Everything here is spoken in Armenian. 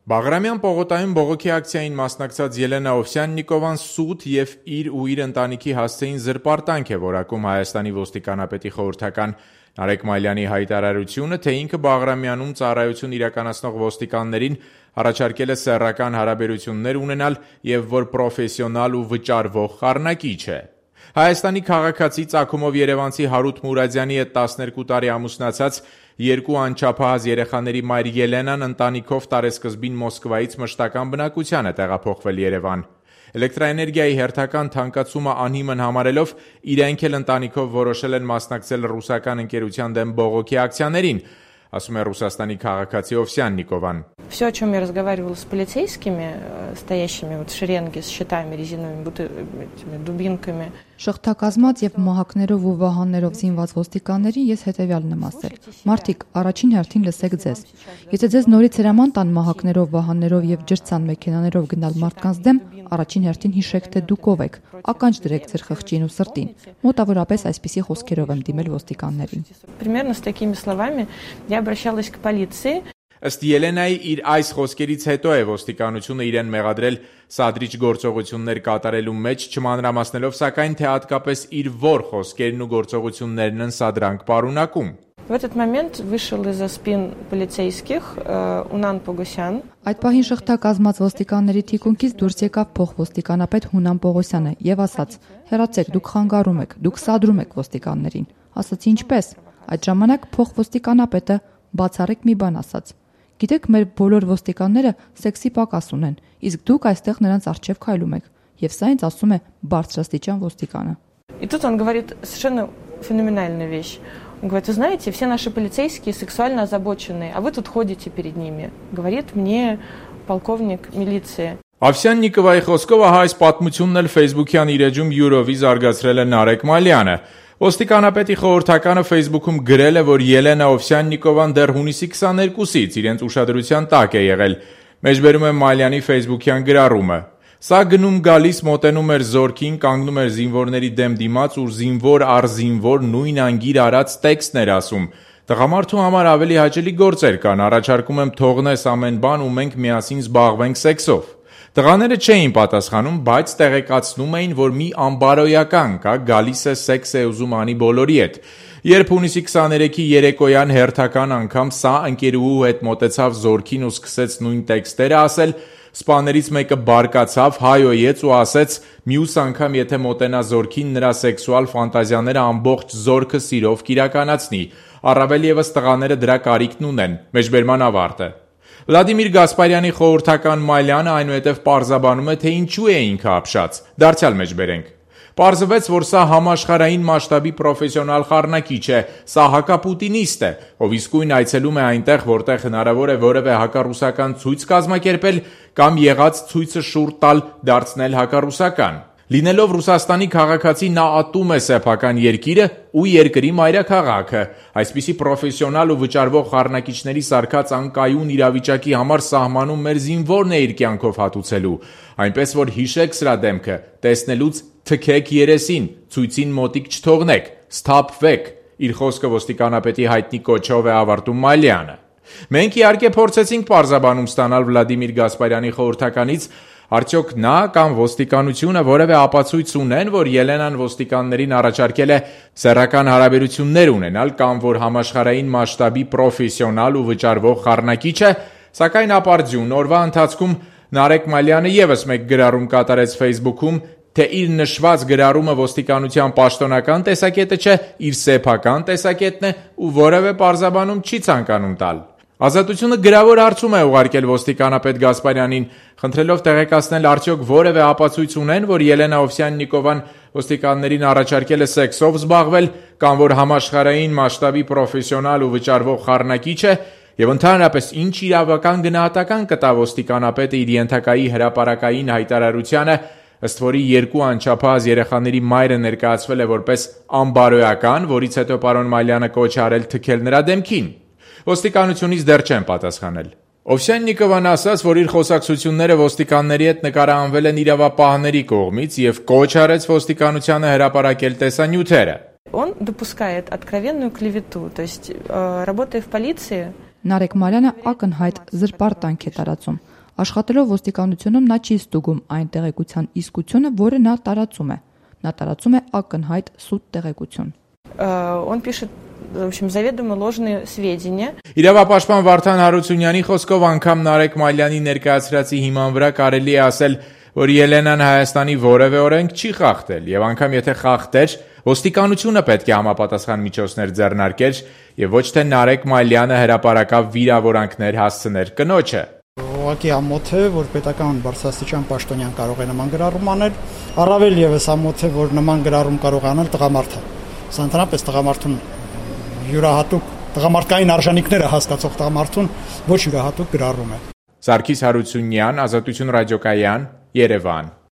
Բաղրամյան պողոտայում բողոքի ակցիային մասնակցած Ելենա Ovsyannikova-ն սուտ եւ իր ու իր ընտանիքի հասցեին զրպարտանք է որակում Հայաստանի ոստիկանապետի խորհրդական Նարեկ Մալյանի հայտարարությունը, թե ինքը Բաղրամյանում ծառայություն իրականացնող ոստիկաններին առաջարկել է սեռական հարաբերություններ ունենալ եւ որ պրոֆեսիոնալ ու վճարվող խառնակիչ է։ Հայաստանի քաղաքացի ծագումով երևանցի Հարութ Մուրադյանի հետ 12 տարի ամուսնացած երկու անչափահաս երեխաների մայր Ելենան ընտանիքով տարեսկզբին Մոսկվայից մշտական բնակության է տեղափոխվել Երևան։ Էլեկտրաէներգիայի հերթական թանկացումը անհիմն համարելով իրենք էլ ընտանիքով որոշել են մասնակցել ռուսական ընկերության դեմ բողոքի ակցիաներին, ասում է Ռուսաստանի քաղաքացի Ovsyannikova-ն։ Все, о чем я разговаривала с полицейскими, стоящими в шеренге с щитами, резиновыми дубинками. Շղթակազմած եւ մահակներով ու վահաններով զինված ոստիկաններին ես հետեւյալն եմ ասել. Մարդիկ, առաջին հերթին լսեք ձեզ։ Եթե ձեզ նորից հրաման տան մահակներով, վահաններով եւ ջրցան մեքենաներով գնալ մարդկանց դեմ, առաջին հերթին հիշեք, թե դուք ով եք։ Ականջ դրեք ձեր խղճին ու սրտին։ Մոտավորապես այսպիսի խոսքերով եմ դիմել ոստիկաններին։ Примерно с такими словами я обращалась к полиции. Ըստ Ելենայի իր այս խոսքերից հետո է ոստիկանությունը իրեն մեղադրել սադրիչ գործողություններ катарելու մեջ, չմանրամասնելով սակայն թե հատկապես իր որ խոսքերն ու գործողություններն են սադրանք պարունակում։ В этот момент вышел из-за спин полицейских Унан Погосян. Այդ պահին շղթակազմած ոստիկանների թիկունքից դուրս եկավ փոխոստիկանապետ Հունան Պողոսյանը եւ ասաց. «Հեռացեք, դուք խանգարում եք, դուք սադրում եք ոստիկաններին»։ Ասացի ինչպես։ Այդ ժամանակ փոխոստիկանապետը բացառիկ մի բան ասաց. Գիտեք, մեր բոլոր ոստիկանները սեքսի պակաս ունեն, իսկ դուք այստեղ նրանց առջև քայլում եք։ Եվ սա ինձ ասում է բարձրաստիճան ոստիկանը։ И тут он говорит совершенно феноменальную вещь. Он говорит: вы знаете, все наши полицейские сексуально озабоченные, а вы тут ходите перед ними. Говорит мне полковник милиции. Ovsyannikova-ի խոսքով այս պատմությունն էլ Facebook-յան իր էջում յուրովի զարգացրել է Նարեկ Մալյանը։ Ոստիկանապետի խորհրդականը Facebook-ում գրել է, որ Ելենա Ovsyannikova-ն դեռ հունիսի 22-ից իրենց ուշադրության տակ է եղել։ Մեջբերում է Մալյանի Facebook-յան գրառումը։ Սա գնում գալիս մոտենում էր զորքին, կանգնում էր զինվորների դեմ դիմաց ու զինվոր առ զինվոր նույն անգիր արած տեքստն էր ասում։ Տղամարդու համար ավելի հաճելի գործեր կան, առաջարկում եմ թողնես ամեն բան ու մենք միասին զբաղվենք սեքսով։ Տղաները չէին պատասխանում, բայց տեղեկացնում էին, որ մի անբարոյական կա, գալիս է սեքս է ուզում անի բոլորի հետ։ Երբ հունիսի 23-ի երեկոյան հերթական անգամ սա ընկերուհու հետ մոտեցավ զորքին ու սկսեց նույն տեքստերը ասել, սպաներից մեկը բարկացավ, հայոյեց ու ասեց՝ մյուս անգամ եթե մոտենա զորքին, նրա սեքսուալ ֆանտազիաները ամբողջ զորքը սիրով կիրականացնի։ Առավել ևս տղաները դրա կարիքն ունեն։ Մեջբերման ավարտը։ Վլադիմիր Գասպարյանի խորհրդական Մալյանը այնուհետև պարզաբանում է, թե ինչու է ինքը ապշած։ Դարձյալ մեջբերենք։ Պարզվեց, որ սա համաշխարհային մասշտաբի պրոֆեսիոնալ խառնակիչ է, սա հակապուտինիստ է, ով իսկույն այցելում է այնտեղ, որտեղ հնարավոր է որևէ հակառուսական ցույց կազմակերպել կամ եղած ցույցը շուռ տալ դարձնել հակառուսական։ Լինելով Ռուսաստանի քաղաքացի նա ատում է սեփական երկիրը ու երկրի մայրաքաղաքը։ Այսպիսի պրոֆեսիոնալ ու վճարվող խառնակիչների սարքած անկայուն իրավիճակի համար սահմանում մեր զինվորն է իր կյանքով հատուցելու։ Այնպես որ հիշեք սրա դեմքը, տեսնելուց թքեք երեսին, ցույցին մոտիկ չթողնեք, սթափվեք։ Իր խոսքը ոստիկանապետի հայտնի կոչով է ավարտում Մալյանը։ Մենք իհարկե փորձեցինք պարզաբանում ստանալ Վլադիմիր Գասպարյանի խորհրդականից, արդյոք նա կամ ոստիկանությունը որևէ ապացույց ունեն, որ Ելենան ոստիկաններին առաջարկել է սեռական հարաբերություններ ունենալ կամ որ համաշխարհային մասշտաբի պրոֆեսիոնալ ու վճարվող խառնակիչ է, սակայն ապարդյուն օրվա ընթացքում Նարեկ Մալյանը եւս մեկ գրառում կատարեց Facebook-ում, թե իր նշված գրառումը ոստիկանության պաշտոնական տեսակետը չէ, իր սեփական տեսակետն է ու որևէ պարզաբանում չի ցանկանում տալ։ Ազատությունը գրավոր հարցում է ուղարկել ոստիկանապետ Գասպարյանին, խնդրելով տեղեկացնել արդյոք որևէ ապացույց ունեն, որ Ելենա Ovsyannikova-ն ոստիկաններին առաջարկել է սեքսով զբաղվել կամ որ համաշխարհային մասշտաբի պրոֆեսիոնալ ու վճարվող խառնակիչ է, եւ ընդհանրապես ինչ իրավական գնահատական կտա ոստիկանապետը իր ենթակայի հրապարակային հայտարարությանը, ըստ որի երկու անչափահաս երեխաների մայրը ներկայացվել է որպես անբարոյական, որից հետո պարոն Մալյանը կոչ արել թքել նրա դեմքին։ Ոստիկանությունից դեռ չեն պատասխանել։ Ovsyannikova-ն ասաց, որ իր խոսակցությունները ոստիկանների հետ նկարահանվել են իրավապահների կողմից եւ կոչ արեց ոստիկանությանը հրապարակել տեսանյութերը։ Он допускает откровенную клевету, то есть работая в полиции. Նարեկ Մալյանը ակնհայտ զրպարտանք է տարածում։ Աշխատելով ոստիկանությունում նա չի ստուգում այն տեղեկության իսկությունը, որը նա տարածում է։ Նա տարածում է ակնհայտ սուտ տեղեկություն։ Он пишет, в общем, заведомо ложные сведения. Իրավապաշտպան Վարդան Հարությունյանի խոսքով անգամ Նարեկ Մալյանի ներկայացրածի հիման վրա կարելի է ասել, որ Ելենան Հայաստանի որևէ օրենք չի խախտել, եւ անգամ եթե խախտեր, ոստիկանությունը պետք է համապատասխան միջոցներ ձեռնարկեր եւ ոչ թե Նարեկ Մալյանը հրապարակավ վիրավորանքներ հասցներ կնոջը։ Ուղղակի ամոթ է, որ պետական բարձրաստիճան պաշտոնյան կարող է նման գրառում անել, առավել եւս ամոթ է, որ նման գրառում կարող է անել տղամարդը։ Սա ընդհանրապես տղամարդուն յուրահատուկ տղամարդկային արժանինքները հասկացող տղամարդուն ոչ յուրահատուկ գրառում է։ Սարգիս Հարությունյան, Ազատություն ռադիոկայան, Երևան։